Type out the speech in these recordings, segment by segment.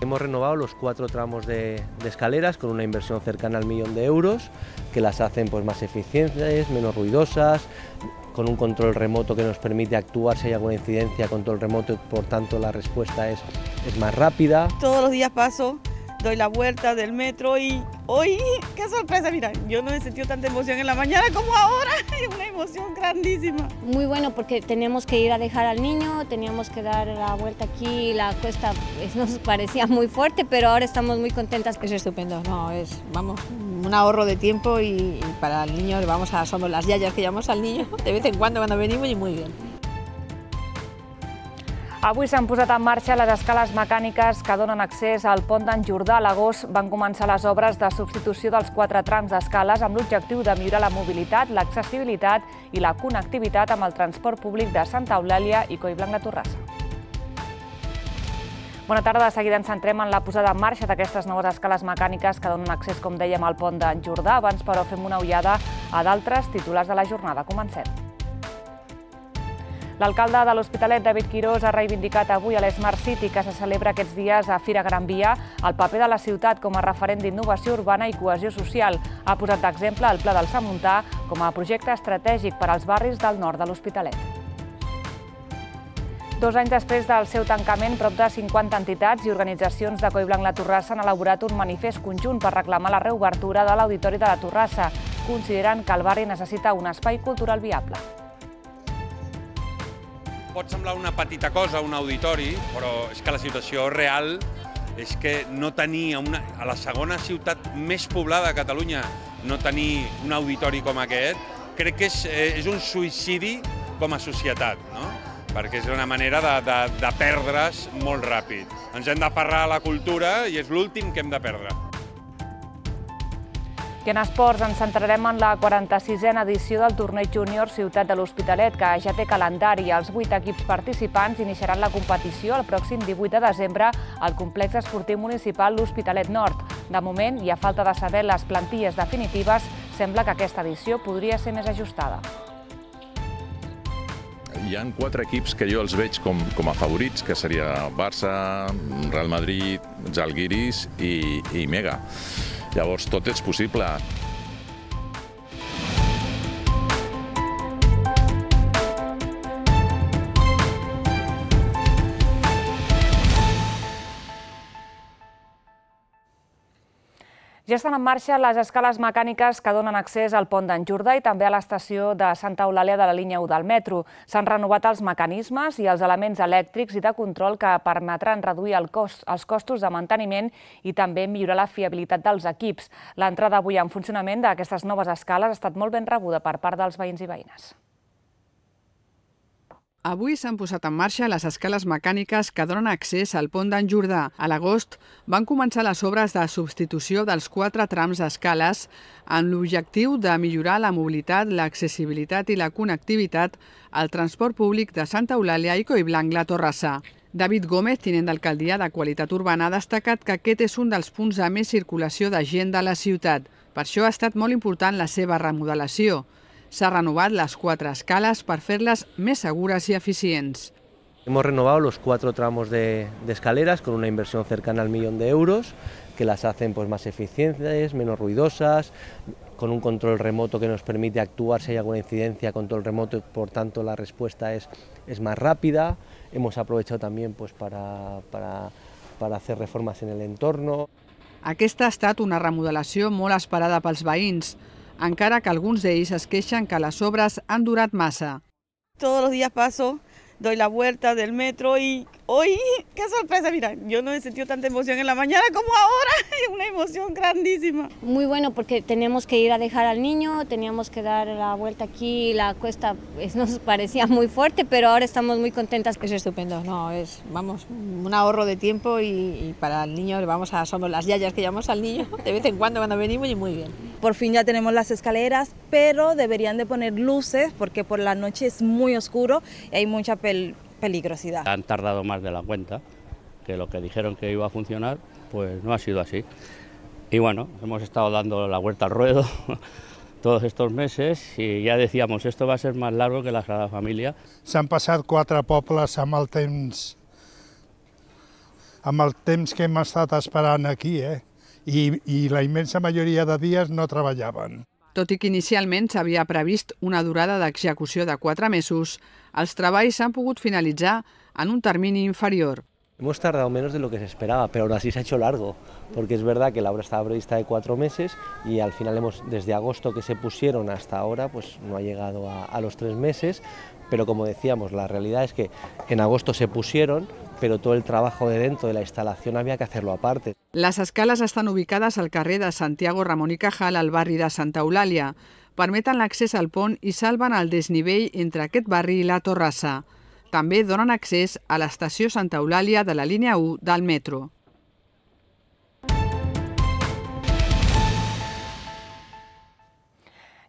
Hemos renovado los 4 tramos de escaleras con una inversión cercana al 1.000.000 de euros, que las hacen pues más eficientes, menos ruidosas, con un control remoto que nos permite actuar si hay alguna incidencia, control remoto, por tanto la respuesta es más rápida. Todos los días paso, doy la vuelta del metro y hoy, qué sorpresa, mira, yo no he sentido tanta emoción en la mañana como ahora, es una emoción grandísima. Muy bueno porque teníamos que ir a dejar al niño, teníamos que dar la vuelta aquí, la cuesta nos parecía muy fuerte, pero ahora estamos muy contentas. Es estupendo, no, es, vamos, un ahorro de tiempo y para el niño, somos las yayas que llevamos al niño de vez en cuando venimos y muy bien. Avui s'han posat en marxa les escales mecàniques que donen accés al pont d'en Jordà. A l'agost van començar les obres de substitució dels 4 trams d'escales amb l'objectiu de millorar la mobilitat, l'accessibilitat i la connectivitat amb el transport públic de Santa Eulàlia i Collblanc de Torrassa. Bona tarda, de seguida ens centrem en la posada en marxa d'aquestes noves escales mecàniques que donen accés, com dèiem, al pont d'en Jordà. Abans, però, fem una ullada a d'altres titulars de la jornada. Comencem. L'alcalde de l'Hospitalet, David Quirós, ha reivindicat avui a l'Smart City, que se celebra aquests dies a Fira Gran Via, el paper de la ciutat com a referent d'innovació urbana i cohesió social. Ha posat d'exemple el Pla del Samuntà com a projecte estratègic per als barris del nord de l'Hospitalet. 2 anys després del seu tancament, prop de 50 entitats i organitzacions de Collblanc la Torrassa han elaborat un manifest conjunt per reclamar la reobertura de l'Auditori de la Torrassa. Consideren que el barri necessita un espai cultural viable. Pot semblar una petita cosa, un auditori, però és que la situació real és que no tenir a la segona ciutat més poblada de Catalunya no tenir un auditori com aquest, crec que és un suïcidi com a societat, no? Perquè és una manera de perdre's molt ràpid. Ens hem d'aferrar a la cultura i és l'últim que hem de perdre. I en esports ens centrarem en la 46a edició del Torneig Júnior Ciutat de l'Hospitalet, que ja té calendari. Els 8 equips participants iniciaran la competició el pròxim 18 de desembre al complex esportiu municipal L'Hospitalet Nord. De moment, i a falta de saber les plantilles definitives, sembla que aquesta edició podria ser més ajustada. Hi ha 4 equips que jo els veig com a favorits, que seria Barça, Real Madrid, Zalgiris i Mega. Llavors, tot és possible. Ja estan en marxa les escales mecàniques que donen accés al pont d'en Jordà i també a l'estació de Santa Eulàlia de la línia 1 del metro. S'han renovat els mecanismes i els elements elèctrics i de control que permetran reduir els costos de manteniment i també millorar la fiabilitat dels equips. L'entrada avui en funcionament d'aquestes noves escales ha estat molt ben rebuda per part dels veïns i veïnes. Avui s'han posat en marxa les escales mecàniques que donen accés al pont d'en Jordà. A l'agost van començar les obres de substitució dels 4 trams d'escales amb l'objectiu de millorar la mobilitat, l'accessibilitat i la connectivitat al transport públic de Santa Eulàlia i Collblanc la Torrassa. David Gómez, tinent d'alcaldia de Qualitat Urbana, ha destacat que aquest és un dels punts de més circulació de gent de la ciutat. Per això ha estat molt important la seva remodelació. S'ha renovat las 4 escales para hacerlas más seguras y eficientes. Hemos renovado los 4 tramos de escaleras con una inversión cercana al 1.000.000 de euros, que las hacen pues más eficientes, menos ruidosas, con un control remoto que nos permite actuar si hay alguna incidencia, control remoto, por tanto la respuesta es más rápida. Hemos aprovechado también pues para hacer reformas en el entorno. Aquesta ha estat una remodelació molt esperada pels veïns, encara que alguns d'ells es queixen que les obres han durat massa. Todos los días paso, doy la vuelta del metro y hoy, qué sorpresa, mira, yo no he sentido tanta emoción en la mañana como ahora, es una emoción grandísima. Muy bueno porque teníamos que ir a dejar al niño, teníamos que dar la vuelta aquí, la cuesta nos parecía muy fuerte, pero ahora estamos muy contentas. Es estupendo, no, es, vamos, un ahorro de tiempo y para el niño, somos las yayas que llevamos al niño de vez en cuando venimos y muy bien. Por fin ya tenemos las escaleras, pero deberían de poner luces porque por la noche es muy oscuro y hay mucha peligrosidad. Han tardado más de la cuenta, que lo que dijeron que iba a funcionar, pues no ha sido así. Y bueno, hemos estado dando la vuelta al ruedo todos estos meses i ja decíamos, esto va a ser más largo que la Sagrada Família. S'han passat 4 pobles amb el temps amb el temps que hem estat esperant aquí, i la immensa majoria de dies no treballaven. Tot i que inicialment s'havia previst una durada d'execució de 4 mesos, els treballs s'han pogut finalitzar en un termini inferior. Hemos tardado menos de lo que se esperaba, pero aún así se ha hecho largo, porque es verdad que la obra estaba prevista de 4 meses y al final desde agosto que se pusieron hasta ahora, pues no ha llegado a los 3 meses, pero como decíamos, la realidad es que en agosto se pusieron, pero todo el trabajo de dentro de la instalación había que hacerlo aparte. Les escales estan ubicades al carrer de Santiago Ramon i Cajal, al barri de Santa Eulàlia. Permeten l'accés al pont i salven el desnivell entre aquest barri i la Torrassa. També donen accés a l'estació Santa Eulàlia de la línia 1 del metro.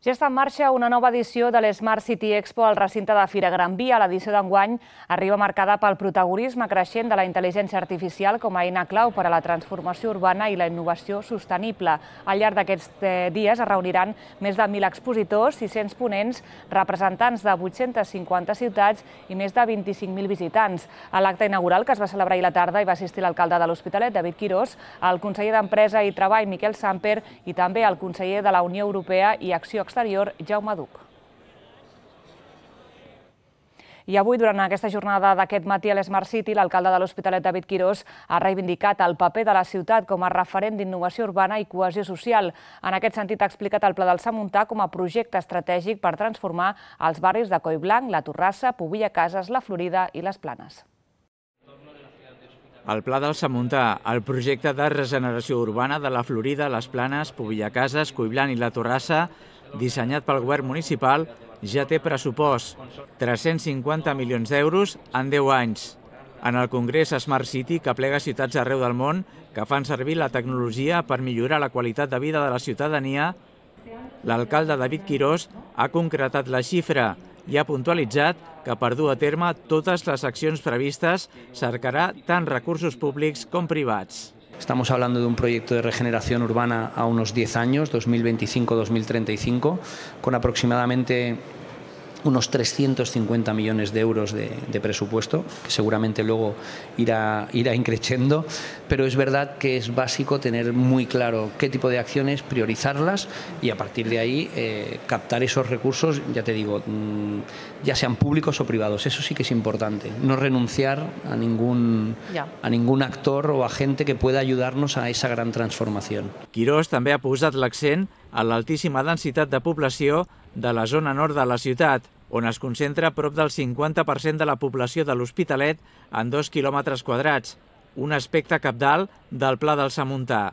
Ja està en marxa una nova edició de l'Smart City Expo al recinte de Fira Gran Via. L'edició d'enguany arriba marcada pel protagonisme creixent de la intel·ligència artificial com a eina clau per a la transformació urbana i la innovació sostenible. Al llarg d'aquests dies es reuniran més de 1.000 expositors, 600 ponents, representants de 850 ciutats i més de 25.000 visitants. A l'acte inaugural, que es va celebrar ahir a la tarda, hi va assistir l'alcalde de l'Hospitalet, David Quirós, el conseller d'Empresa i Treball, Miquel Samper, i també el conseller de la Unió Europea i Acció Exterior, Jaume Duch. I avui, durant aquesta jornada d'aquest matí a l'Smart City, l'alcalde de l'Hospitalet, David Quirós, ha reivindicat el paper de la ciutat com a referent d'innovació urbana i cohesió social. En aquest sentit, ha explicat el Pla del Samuntà com a projecte estratègic per transformar els barris de Collblanc, la Torrassa, Pobilla Cases, la Florida i les Planes. El Pla del Samuntà, el projecte de regeneració urbana de la Florida, les Planes, Pobilla Cases, Collblanc i la Torrassa, dissenyat pel govern municipal, ja té pressupost, 350 milions d'euros en 10 anys. En el Congrés Smart City, que aplega ciutats arreu del món que fan servir la tecnologia per millorar la qualitat de vida de la ciutadania, l'alcalde David Quirós ha concretat la xifra i ha puntualitzat que per dur a terme totes les accions previstes cercarà tant recursos públics com privats. Estamos hablando de un proyecto de regeneración urbana a unos 10 años, 2025-2035, con aproximadamente unos 350 millones de euros de presupuesto, que seguramente luego irá increciendo, pero es verdad que es básico tener muy claro qué tipo de acciones, priorizarlas y a partir de ahí captar esos recursos, ya te digo, ya sean públicos o privados. Eso sí que es importante, no renunciar a ningún actor o agente que pueda ayudarnos a esa gran transformación. Quirós també ha posat l'accent a l'altíssima densitat de població de la zona nord de la ciutat, on es concentra prop del 50% de la població de l'Hospitalet en 2 quilòmetres quadrats, un aspecte cabdal del Pla del Samuntà.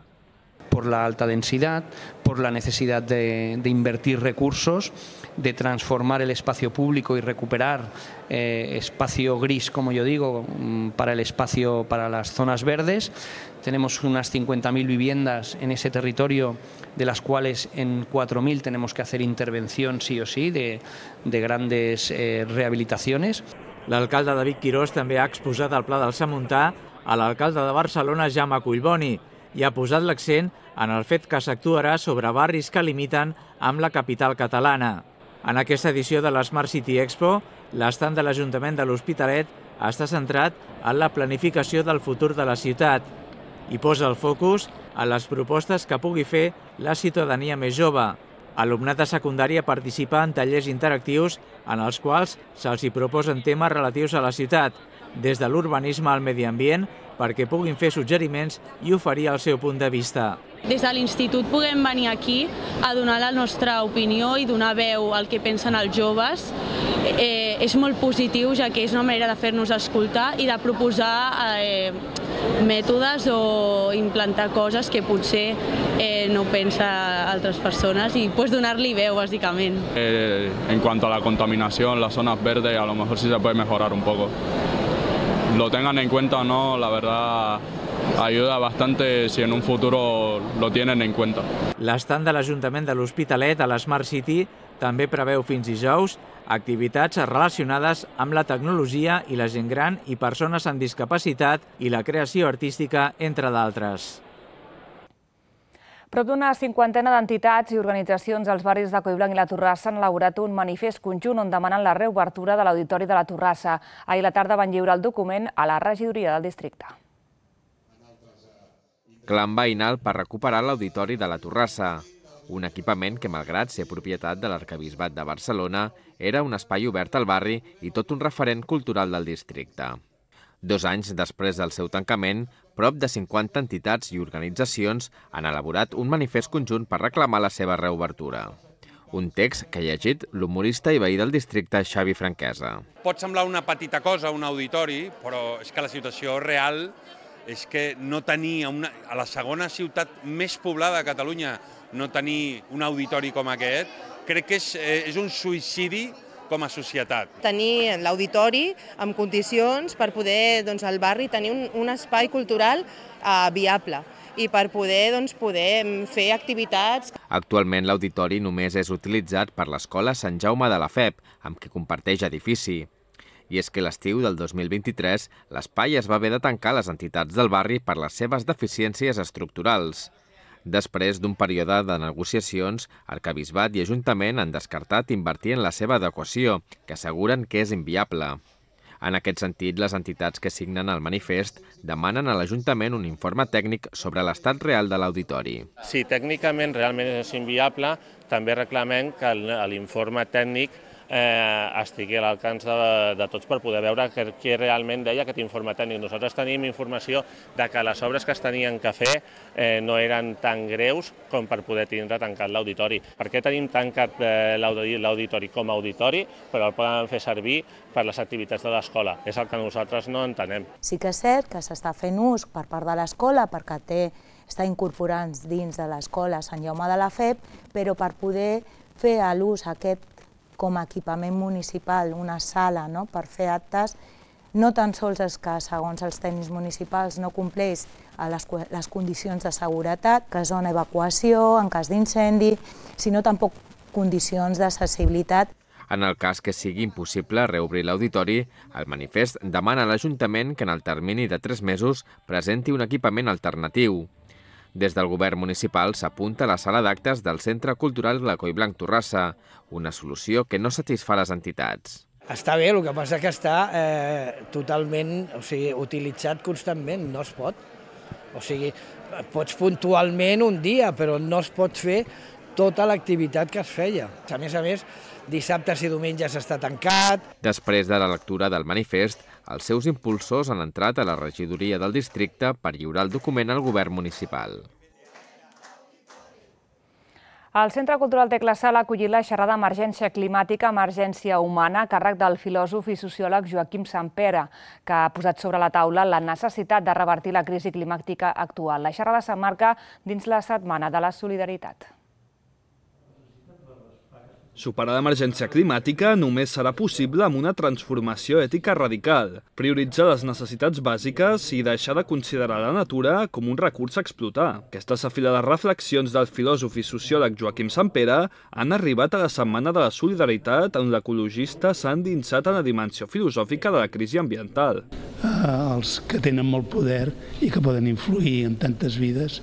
Por la alta densidad, por la necesidad de invertir recursos, de transformar el espacio público y recuperar espacio gris, como yo digo, para el espacio, para las zonas verdes. Tenemos unas 50.000 viviendas en ese territorio, de las cuales en 4.000 tenemos que hacer intervención sí o sí de grandes rehabilitaciones. L'alcalde David Quirós també ha exposat el Pla del Samuntà a l'alcalde de Barcelona, Jaume Collboni, i ha posat l'accent en el fet que s'actuarà sobre barris que limiten amb la capital catalana. En aquesta edició de l'Smart City Expo, l'estand de l'Ajuntament de l'Hospitalet està centrat en la planificació del futur de la ciutat i posa el focus en les propostes que pugui fer la ciutadania més jove. Alumnat de secundària participa en tallers interactius en els quals se'ls hi proposen temes relatius a la ciutat, des de l'urbanisme al medi ambient, perquè puguin fer suggeriments i oferir el seu punt de vista. Des de l'institut puguem venir aquí a donar la nostra opinió i donar veu al que pensen els joves. És molt positiu, ja que és una manera de fer-nos escoltar i de proposar mètodes o implantar coses que potser no pensen altres persones i donar-li veu, bàsicament. En cuanto a la contaminación, las zonas verdes, a lo mejor sí se puede mejorar un poco. Lo tengan en cuenta o no, la verdad ayuda bastante si en un futuro lo tienen en cuenta. L'estand de l'Ajuntament de l'Hospitalet a l'Smart City també preveu fins dijous activitats relacionades amb la tecnologia i la gent gran i persones amb discapacitat i la creació artística, entre d'altres. Prop d'una 50 d'entitats i organitzacions als barris de Collblanc i la Torrassa han elaborat un manifest conjunt on demanen la reobertura de l'Auditori de la Torrassa. Ahir a la tarda van lliurar el document a la regidoria del districte. clam veïnal per recuperar l'auditori de la Torrassa, un equipament que, malgrat ser propietat de l'Arquebisbat de Barcelona, era un espai obert al barri i tot un referent cultural del districte. 2 anys després del seu tancament, prop de 50 entitats i organitzacions han elaborat un manifest conjunt per reclamar la seva reobertura. Un text que ha llegit l'humorista i veí del districte Xavi Franquesa. Pot semblar una petita cosa, un auditori, però és que la situació real és que no tenir a la segona ciutat més poblada de Catalunya no tenir un auditori com aquest, crec que és un suïcidi com a societat. Tenir l'auditori en condicions per poder al barri tenir un espai cultural viable i per poder fer activitats. Actualment l'auditori només és utilitzat per l'Escola Sant Jaume de la FEP, amb qui comparteix edifici. I és que l'estiu del 2023 l'espai es va haver de tancar a les entitats del barri per les seves deficiències estructurals. Després d'un període de negociacions, Arquebisbat i Ajuntament han descartat invertir en la seva adequació, que asseguren que és inviable. En aquest sentit, les entitats que signen el manifest demanen a l'Ajuntament un informe tècnic sobre l'estat real de l'auditori. Si tècnicament realment és inviable, també reclamem que l'informe tècnic estigui a l'alcance de tots per poder veure què realment deia aquest informe tècnic. Nosaltres tenim informació de que les obres que es tenien que fer no eren tan greus com per poder tindre tancat l'auditori. Per què tenim tancat l'auditori com a auditori, però el poden fer servir per les activitats de l'escola? És el que nosaltres no entenem. Sí que és cert que s'està fent ús per part de l'escola perquè està incorporant dins de l'escola Sant Jaume de la FEP, però per poder fer l'ús aquest com a equipament municipal, una sala per fer actes, no tan sols és que, segons els tècnics municipals, no compleix les condicions de seguretat, que és zona evacuació, en cas d'incendi, sinó tampoc condicions d'accessibilitat. En el cas que sigui impossible reobrir l'auditori, el manifest demana a l'Ajuntament que en el termini de 3 mesos presenti un equipament alternatiu. Des del govern municipal s'apunta a la sala d'actes del Centre Cultural Glacó i Blanc Torrassa, una solució que no satisfà les entitats. Està bé, el que passa que està totalment utilitzat constantment, no es pot. O sigui, pots puntualment un dia, però no es pot fer tota l'activitat que es feia. A més, dissabtes i diumenges està tancat. Després de la lectura del manifest, els seus impulsors han entrat a la regidoria del districte per lliurar el document al govern municipal. El Centre Cultural Tecla Sala ha acollit la xerrada Emergència Climàtica, Emergència Humana, a càrrec del filòsof i sociòleg Joaquim Sampere, que ha posat sobre la taula la necessitat de revertir la crisi climàtica actual. La xerrada s'emmarca dins la Setmana de la Solidaritat. Superar l'emergència climàtica només serà possible amb una transformació ètica radical, prioritzar les necessitats bàsiques i deixar de considerar la natura com un recurs a explotar. Aquestes afilades reflexions del filòsof i sociòleg Joaquim Sampere han arribat a la Setmana de la Solidaritat on l'ecologista s'ha endinsat en la dimensió filosòfica de la crisi ambiental. Els que tenen molt poder i que poden influir en tantes vides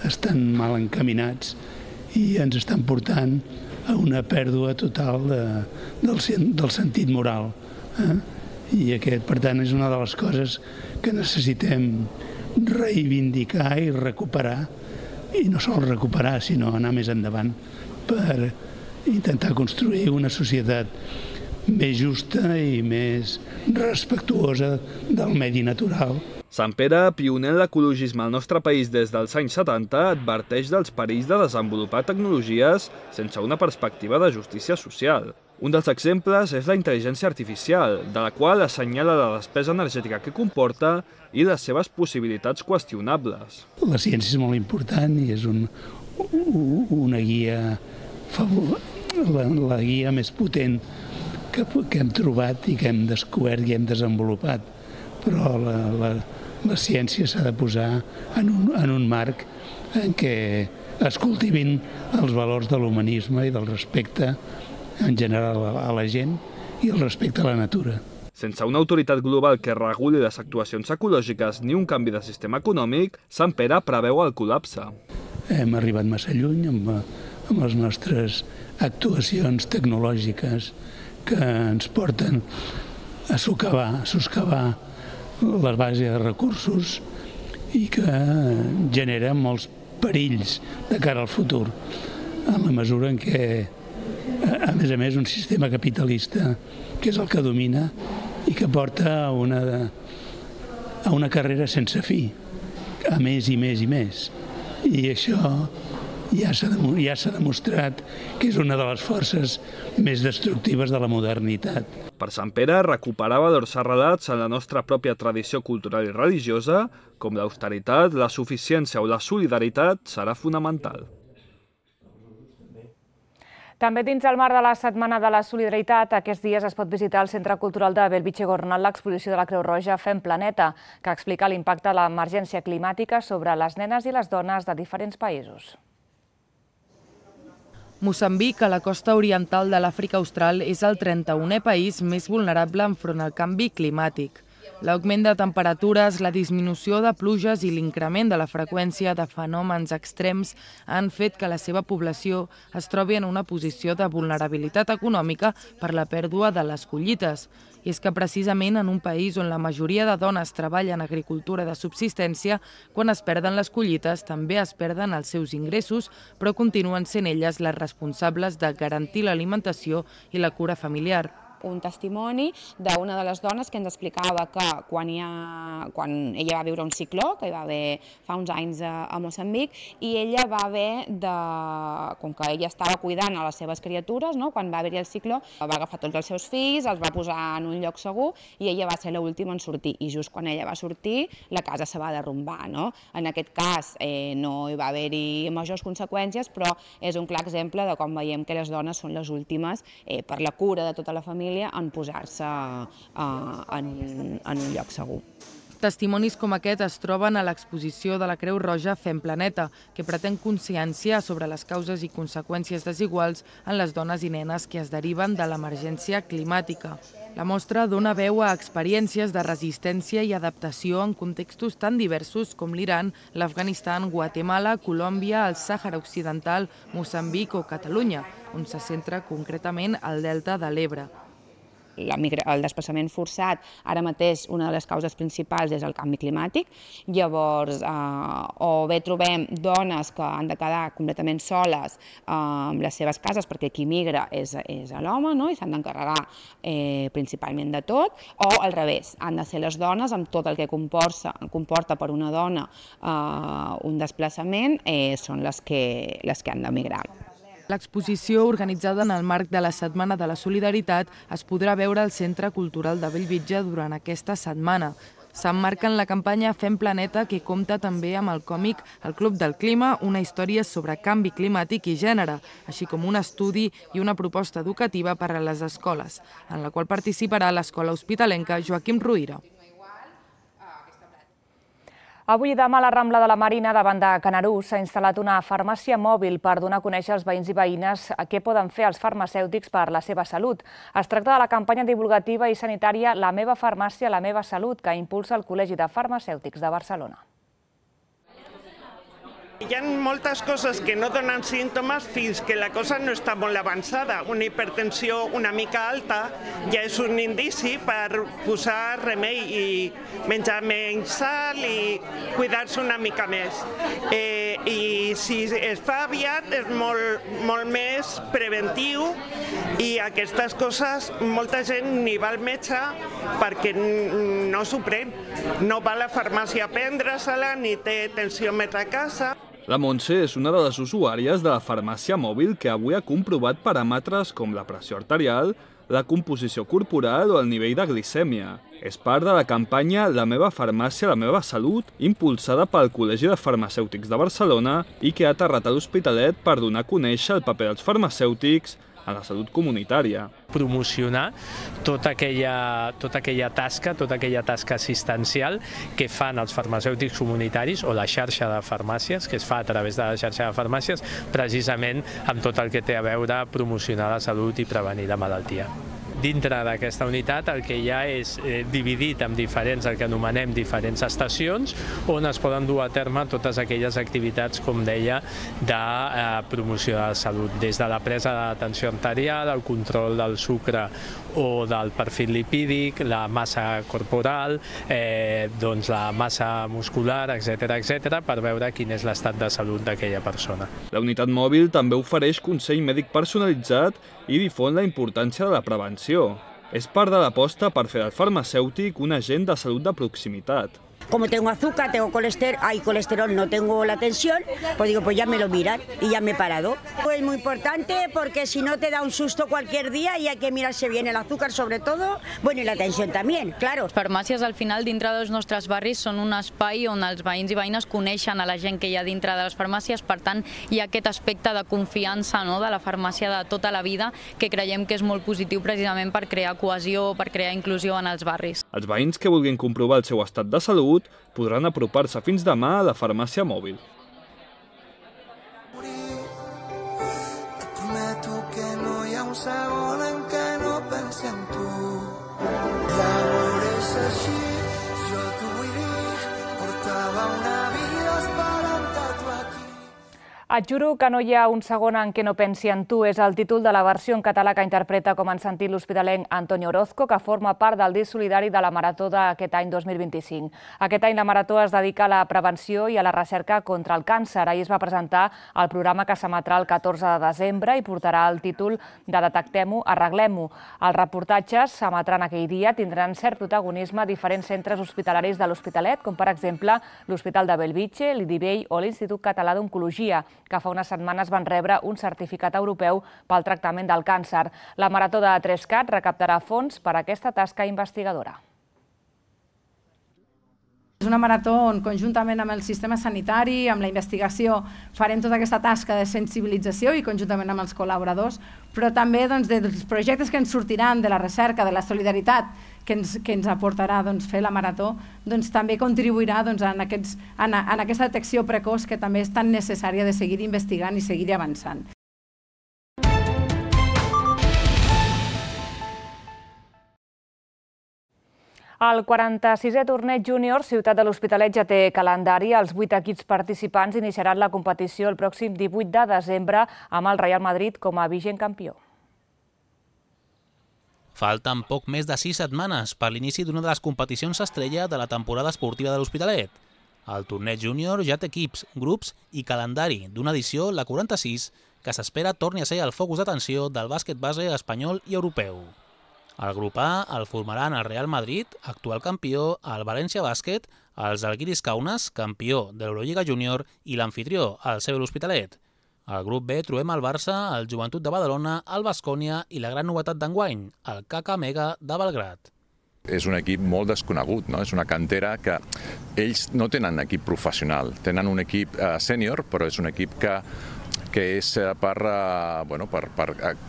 estan mal encaminats i ens estan portant a una pèrdua total del sentit moral. I aquest, per tant, és una de les coses que necessitem reivindicar i recuperar, i no sols recuperar, sinó anar més endavant per intentar construir una societat més justa i més respectuosa del medi natural. Sampere, pioner en l'ecologisme al nostre país des dels anys 70, adverteix dels perills de desenvolupar tecnologies sense una perspectiva de justícia social. Un dels exemples és la intel·ligència artificial, de la qual assenyala la despesa energètica que comporta i les seves possibilitats qüestionables. La ciència és molt important i és una guia, la guia més potent que hem trobat i que hem descobert i hem desenvolupat. Però la ciència s'ha de posar en un marc en què es cultivin els valors de l'humanisme i del respecte en general a la gent i el respecte a la natura. Sense una autoritat global que reguli les actuacions ecològiques ni un canvi de sistema econòmic, Sampere preveu el col·lapse. Hem arribat massa lluny amb les nostres actuacions tecnològiques que ens porten a soscavar les bases de recursos i que genera molts perills de cara al futur, en la mesura en què, a més, un sistema capitalista, que és el que domina i que porta a una carrera sense fi, a més i més i més. I això ja s'ha demostrat que és una de les forces més destructives de la modernitat. Per Sant Pere, recuperar valors arrelats en la nostra pròpia tradició cultural i religiosa, com l'austeritat, la suficiència o la solidaritat, serà fonamental. També dins el marc de la Setmana de la Solidaritat, aquests dies es pot visitar al Centre Cultural de Bellvitge-Gornal l'exposició de la Creu Roja Fem Planeta, que explica l'impacte de l'emergència climàtica sobre les nenes i les dones de diferents països. Moçambic, a la costa oriental de l'Àfrica Austral, és el 31è país més vulnerable enfront al canvi climàtic. L'augment de temperatures, la disminució de pluges i l'increment de la freqüència de fenòmens extrems han fet que la seva població es trobi en una posició de vulnerabilitat econòmica per la pèrdua de les collites. I és que precisament en un país on la majoria de dones treballen en agricultura de subsistència, quan es perden les collites també es perden els seus ingressos, però continuen sent elles les responsables de garantir l'alimentació i la cura familiar. Un testimoni d'una de les dones que ens explicava que quan ella va viure un cicló, que hi va haver fa uns anys a Moçambic, i ella va haver com que ella estava cuidant a les seves criatures, quan va haver-hi el cicló, va agafar tots els seus fills, els va posar en un lloc segur i ella va ser l'última en sortir. I just quan ella va sortir, la casa se va derrumbar. En aquest cas no hi va haver-hi majors conseqüències, però és un clar exemple de com veiem que les dones són les últimes per la cura de tota la família en posar-se en un lloc segur. Testimonis com aquest es troben a l'exposició de la Creu Roja Fem Planeta, que pretén conscienciar sobre les causes i conseqüències desiguals en les dones i nenes que es deriven de l'emergència climàtica. La mostra dona veu a experiències de resistència i adaptació en contextos tan diversos com l'Iran, l'Afganistan, Guatemala, Colòmbia, el Sàhara Occidental, Moçambic o Catalunya, on se centra concretament el Delta de l'Ebre. El desplaçament forçat, ara mateix una de les causes principals és el canvi climàtic, llavors o bé trobem dones que han de quedar completament soles amb les seves cases perquè qui migra és l'home i s'han d'encarregar principalment de tot, o al revés, han de ser les dones amb tot el que comporta per una dona un desplaçament, són les que han de migrar. L'exposició, organitzada en el marc de la Setmana de la Solidaritat, es podrà veure al Centre Cultural de Bellvitge durant aquesta setmana. S'emmarca en la campanya Fem Planeta, que compta també amb el còmic El Club del Clima, una història sobre canvi climàtic i gènere, així com un estudi i una proposta educativa per a les escoles, en la qual participarà l'escola hospitalenca Joaquim Ruïra. Avui i demà a la Rambla de la Marina, davant de Canarús, s'ha instal·lat una farmàcia mòbil per donar a conèixer als veïns i veïnes què poden fer els farmacèutics per la seva salut. Es tracta de la campanya divulgativa i sanitària La meva farmàcia, la meva salut, que impulsa el Col·legi de Farmacèutics de Barcelona. Hi ha moltes coses que no donen símptomes fins que la cosa no està molt avançada. Una hipertensió una mica alta ja és un indici per posar remei i menjar menys sal i cuidar-se una mica més. I si es fa aviat és molt més preventiu i aquestes coses molta gent ni va al metge perquè no s'ho pren. No va a la farmàcia a prendre-se-la ni té tensiòmetre a casa. La Montse és una de les usuàries de la farmàcia mòbil que avui ha comprovat paràmetres com la pressió arterial, la composició corporal o el nivell de glicèmia. És part de la campanya La meva farmàcia, la meva salut, impulsada pel Col·legi de Farmacèutics de Barcelona i que ha aterrat a l'Hospitalet per donar a conèixer el paper dels farmacèutics a la salut comunitària. Promocionar tota aquella tasca assistencial que fan els farmacèutics comunitaris o la xarxa de farmàcies, que es fa a través de la xarxa de farmàcies, precisament amb tot el que té a veure promocionar la salut i prevenir la malaltia. Dintre d'aquesta unitat el que hi ha és dividit en diferents, el que anomenem diferents estacions, on es poden dur a terme totes aquelles activitats, com deia, de promoció de la salut, des de la presa de tensió arterial, el control del sucre o del perfil lipídic, la massa corporal, doncs la massa muscular, etc., per veure quin és l'estat de salut d'aquella persona. La unitat mòbil també ofereix consell mèdic personalitzat i difon la importància de la prevenció. És part de l'aposta per fer del farmacèutic un agent de salut de proximitat. Como tengo azúcar, tengo colesterol, no tengo la tensión, pues digo, pues ya me lo miran y ya me he parado. Es muy importante porque si no te da un susto cualquier día y hay que mirarse bien el azúcar sobre todo, bueno, y la tensión también, claro. Les farmàcies al final dintre dels nostres barris són un espai on els veïns i veïnes coneixen a la gent que hi ha dintre de les farmàcies, per tant hi ha aquest aspecte de confiança de la farmàcia de tota la vida que creiem que és molt positiu precisament per crear cohesió, per crear inclusió en els barris. Els veïns que vulguin comprovar el seu estat de salut podran apropar-se fins demà a la farmàcia mòbil. Et prometo que no hi ha un segon en què no pensi en tu. Llavors és així, jo t'ho vull dir, portava una vida esperant-te tu aquí. Et juro que no hi ha un segon en què no pensi en tu és el títol de la versió en català que interpreta com han sentit l'hospitalenc Antonio Orozco, que forma part del disc solidari de la Marató d'aquest any 2025. Aquest any la Marató es dedica a la prevenció i a la recerca contra el càncer. Ahir es va presentar el programa que s'emetrà el 14 de desembre i portarà el títol de Detectem-ho, arreglem-ho. Els reportatges s'emetran aquell dia tindran cert protagonisme a diferents centres hospitalaris de l'Hospitalet, com per exemple l'Hospital de Bellvitge, l'IDIVEI o l'Institut Català d'Oncologia, que fa unes setmanes van rebre un certificat europeu pel tractament del càncer. La Marató de 3CAT recaptarà fons per a aquesta tasca investigadora. És una marató on, conjuntament amb el sistema sanitari, amb la investigació, farem tota aquesta tasca de sensibilització i conjuntament amb els col·laboradors, però també dels projectes que ens sortiran de la recerca, de la solidaritat que ens aportarà fer la marató, també contribuirà en aquesta detecció precoç que també és tan necessària de seguir investigant i seguir avançant. El 46è torneig júnior Ciutat de l'Hospitalet ja té calendari. Els 8 equips participants iniciaran la competició el pròxim 18 de desembre amb el Real Madrid com a vigent campió. Falten poc més de 6 setmanes per l'inici d'una de les competicions estrella de la temporada esportiva de l'Hospitalet. El torneig júnior ja té equips, grups i calendari d'una edició, la 46, que s'espera torni a ser el focus d'atenció del bàsquet base espanyol i europeu. El grup A el formaran el Real Madrid, actual campió, el València Bàsquet, els Žalgiris Kaunas, campió de l'Eurolliga Júnior, i l'anfitrió, el CB l'Hospitalet. Al grup B trobem el Barça, el Joventut de Badalona, el Baskonia i la gran novetat d'enguany, el KK de Belgrad. És un equip molt desconegut, no? És una cantera que ells no tenen equip professional, tenen un equip sènior, però és un equip que és per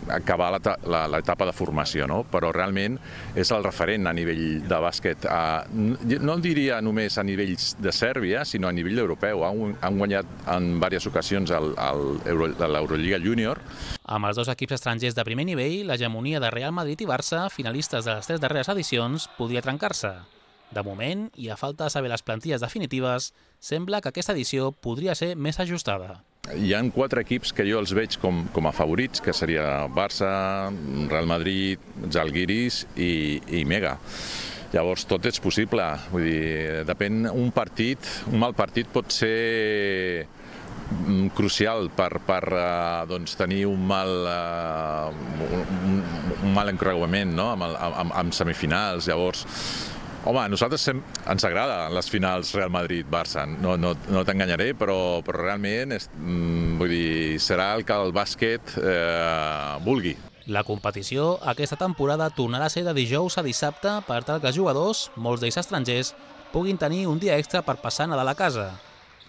acabar l'etapa de formació, no? Però realment és el referent a nivell de bàsquet, no diria només a nivells de Sèrbia, sinó a nivell europeu. Han guanyat en diverses ocasions l'Eurolliga Júnior. Amb els dos equips estrangers de primer nivell, l'hegemonia de Real Madrid i Barça, finalistes de les 3 darreres edicions, podria trencar-se. De moment, i a falta de saber les plantilles definitives, sembla que aquesta edició podria ser més ajustada. Hi ha 4 equips que jo els veig com a favorits, que seria Barça, Real Madrid, Žalgiris i Mega. Llavors tot és possible, vull dir, depèn un mal partit pot ser crucial per tenir un mal encreuament amb semifinals. Llavors, home, a nosaltres ens agrada les finals Real Madrid-Barça, no t'enganyaré, però realment serà el que el bàsquet vulgui. La competició aquesta temporada tornarà a ser de dijous a dissabte per tal que els jugadors, molts d'ells estrangers, puguin tenir un dia extra per passar Nadal a casa.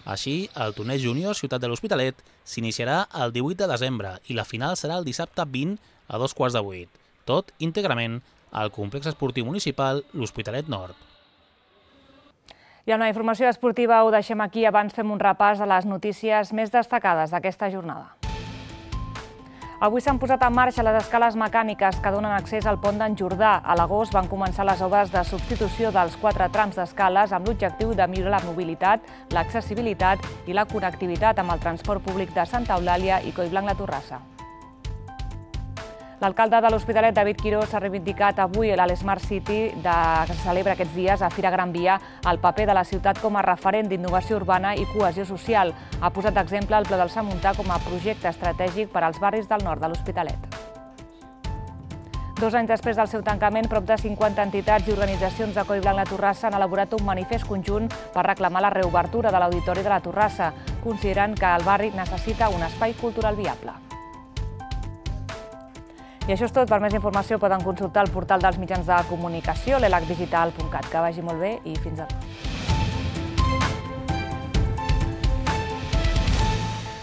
Així, el torneig júnior Ciutat de l'Hospitalet s'iniciarà el 18 de desembre i la final serà el dissabte 20 a 7:15, tot íntegrament al complex esportiu municipal l'Hospitalet Nord. I amb la informació esportiva ho deixem aquí. Abans fem un repàs de les notícies més destacades d'aquesta jornada. Avui s'han posat en marxa les escales mecàniques que donen accés al pont d'en Jordà. A l'agost van començar les obres de substitució dels 4 trams d'escales amb l'objectiu de millorar la mobilitat, l'accessibilitat i la connectivitat amb el transport públic de Santa Eulàlia i Collblanc la Torrassa. L'alcalde de l'Hospitalet, David Quirós, ha reivindicat avui a l'Smart City que se celebra aquests dies a Fira Gran Via el paper de la ciutat com a referent d'innovació urbana i cohesió social. Ha posat d'exemple el Pla del Samuntà com a projecte estratègic per als barris del nord de l'Hospitalet. 2 anys després del seu tancament, prop de 50 entitats i organitzacions de Coll Blanc La Torrassa han elaborat un manifest conjunt per reclamar la reobertura de l'Auditori de la Torrassa. Consideren que el barri necessita un espai cultural viable. I això és tot. Per més informació poden consultar el portal dels mitjans de comunicació, l'elacdigital.cat. Que vagi molt bé i fins ara.